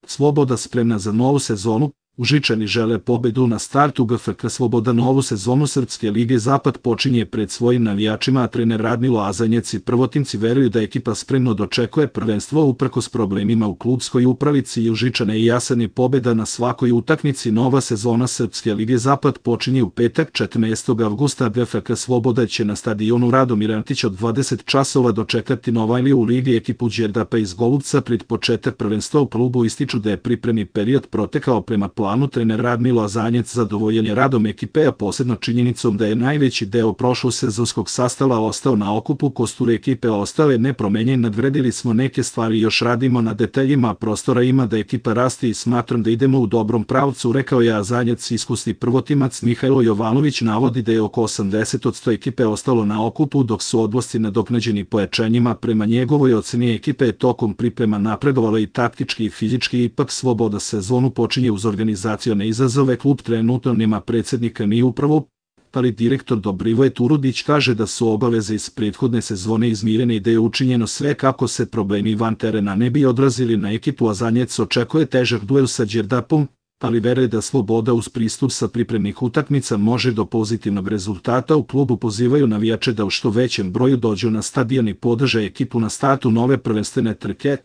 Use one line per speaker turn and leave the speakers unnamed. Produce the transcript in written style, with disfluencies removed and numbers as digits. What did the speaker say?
Sloboda spremna za novu sezonu, Užičani žele pobedu na startu GFK Sloboda. Novu sezonu Srpske lige Zapad počinje pred svojim navijačima, a trener Radmilo Azanjec i prvotimci veruju da ekipa spremno dočekuje prvenstvo uprkos problemima u klubskoj upravici i Užičane i jasan je pobeda na svakoj utakmici. Nova sezona Srpske lige Zapad počinje u petak 14. avgusta. GFK Sloboda će na stadionu Radomir Antić od 20 časova dočekati Novajliju u ligi ekipu Đerdapa iz Golubca. Pred početak prvenstva u klubu ističu da je pripremni period protekao prema planu. Trener Radmilo Azanjec zadovoljen je radom ekipe, a posebno činjenicom da je najveći deo prošlosezonskog sastava ostao na okupu. Kostur ekipe ostao je nepromenjen. Nadgradili smo neke stvari, još radimo na detaljima, prostora ima da ekipa raste i smatram da idemo u dobrom pravcu, rekao je Azanjec. Iskusni prvotimac Mihajlo Jovanović navodi da je oko 80% ekipe ostalo na okupu, dok su odlasci nadoknađeni pojačanjima. Prema njegovoj oceni ekipe je tokom priprema napredovala i taktički i fizički. Ipak Sloboda sezonu počinje uz organizacione izazove. Klub trenutno nema predsednika ni upravu, ali direktor Dobrivoje Turudić kaže da su obaveze iz prethodne sezone izmirene i da je učinjeno sve kako se problemi van terena ne bi odrazili na ekipu. Azanjec očekuje težak duel sa Đerdapom, ali veruje da Sloboda uz pristup sa pripremnih utakmica može do pozitivnog rezultata. U klubu pozivaju navijače da u što većem broju dođu na stadion i podrže ekipu na startu nove prvenstvene trke.